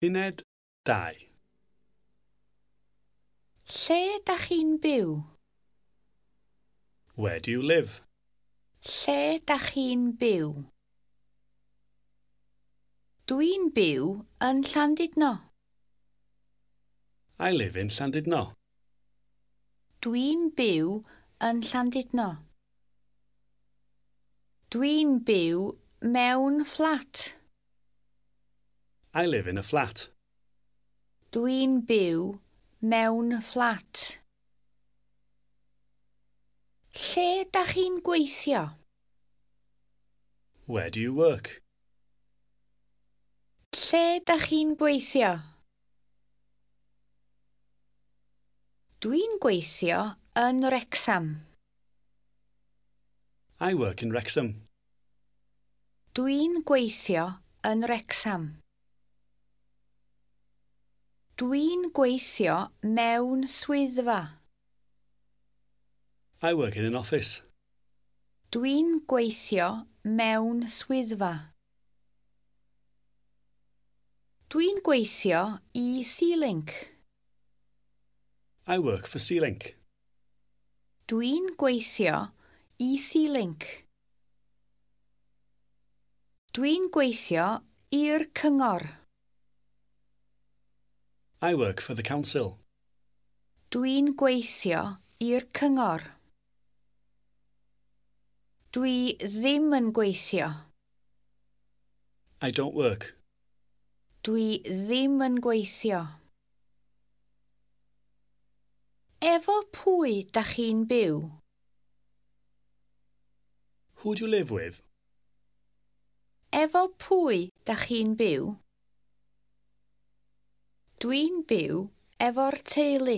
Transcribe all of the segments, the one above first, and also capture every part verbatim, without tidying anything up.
Uned dau. Lle dach chi'n byw? Where do you live? Lle dach chi'n byw? Dwi'n byw yn Llandudno. I live in Llandudno. Dwi'n byw yn Llandudno. Dwi'n byw mewn fflat. I live in a flat. Dwi'n byw mewn fflat. Lle dach chi'n gweithio? Where do you work? Lle dach chi'n gweithio? Dwi'n gweithio yn Wrecsam. I work in Wrexham. Dwi'n gweithio yn Wrecsam. Dwi'n gweithio mewn swyddfa. I work in an office. Dwi'n gweithio mewn swyddfa. Dwi'n gweithio i Sealink. I work for Sealink. Dwi'n gweithio i Sealink. Dwi'n gweithio i'r cyngor. I work for the council. Dwi'n gweithio i'r cyngor. Dwi ddim yn gweithio. I don't work. Dwi ddim yn gweithio. Efo pwy dach chi'n byw? Who do you live with? Efo pwy dach chi'n byw? Dwi'n byw efo'r teulu.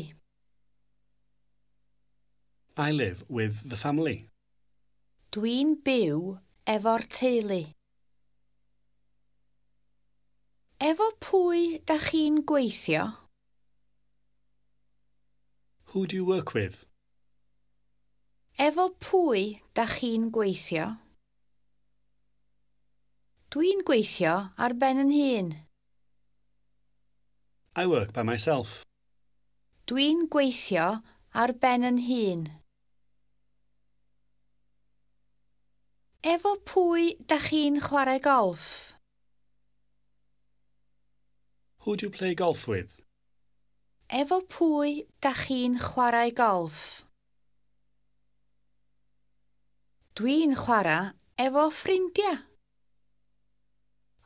I live with the family. Dwi'n byw efo'r teulu. Efo pwy dach chi'n gweithio? Who do you work with? Efo pwy dach chi'n gweithio? Dwi'n gweithio ar ben 'yn hun. I work by myself. Dwi'n gweithio ar ben 'yn hun. Efo pwy dach chi'n chwarae golff? Who do you play golf with? Efo pwy dach chi'n chwarae golff? Dwi'n chwarae efo ffrindiau.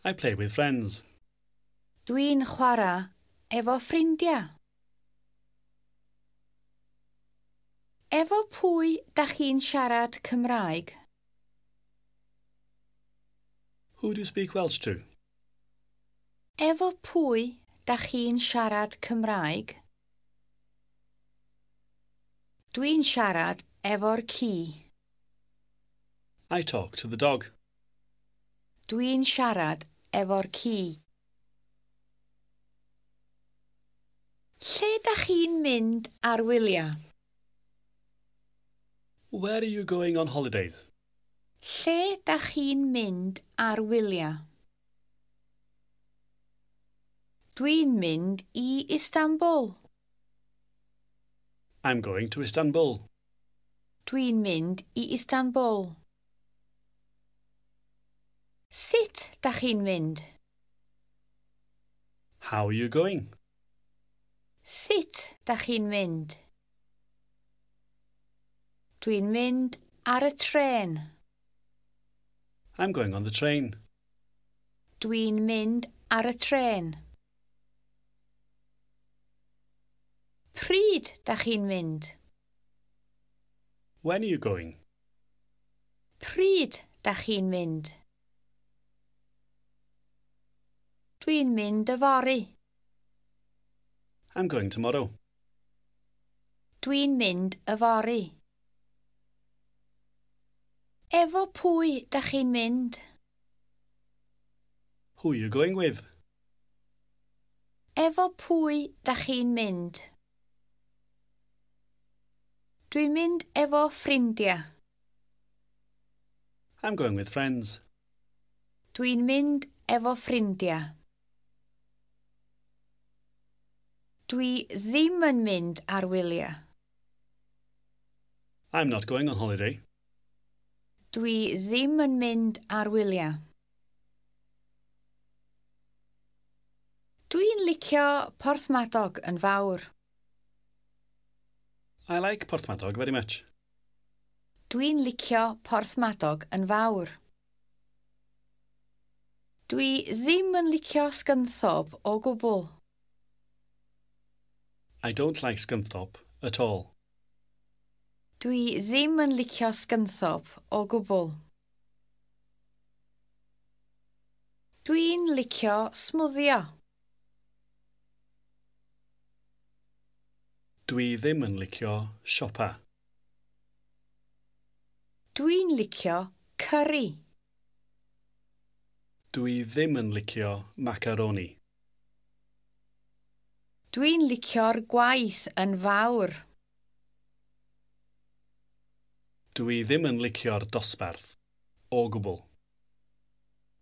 I play with friends. Dwi'n chwarae efo ffrindiau. Efo pwy dach chi'n siarad Cymraeg? Who do you speak Welsh to? Efo pwy dach chi'n siarad Cymraeg? Dwi'n siarad efo'r ci. I talk to the dog. Dwi'n siarad efo'r ci. Lle dach chi'n mynd ar wyliau? Where are you going on holidays? Lle dach chi'n mynd ar wyliau? Dwi'n mynd i Istanbul. I'm going to Istanbul. Dwi'n mynd i Istanbul. Sut dach chi'n mynd? How are you going? Sut dach chi'n mynd? Dwi'n mynd ar y trên. I'm going on the train. Dwi'n mynd ar y trên. Pryd dach chi'n mynd? When are you going? Pryd dach chi'n mynd? Dwi'n mynd yfory. I'm going tomorrow. Dwi'n mynd yfory. Efo pwy dach chi'n mynd? Who are you going with? Efo pwy dach chi'n mynd? Dwi'n mynd efo ffrindiau. I'm going with friends. Dwi'n mynd efo ffrindiau. Dwi ddim yn mynd ar wyliau. I'm not going on holiday. Dwi ddim yn mynd ar wyliau. Dwi'n licio Porthmadog yn fawr. I like Porthmadog very much. Dwi'n licio Porthmadog yn fawr. Dwi ddim yn licio Scunthorpe o gwbl. I don't like Scunthorpe at all. Dwi ddim yn licio Scunthorpe o gwbl. Dwi'n licio smwddio. Dwi ddim yn licio siopa. Dwi'n licio cyri. Dwi ddim yn licio macaroni. Dwi'n licio'r gwaith yn fawr. Dwi ddim yn licio'r dosbarth. O gwbl.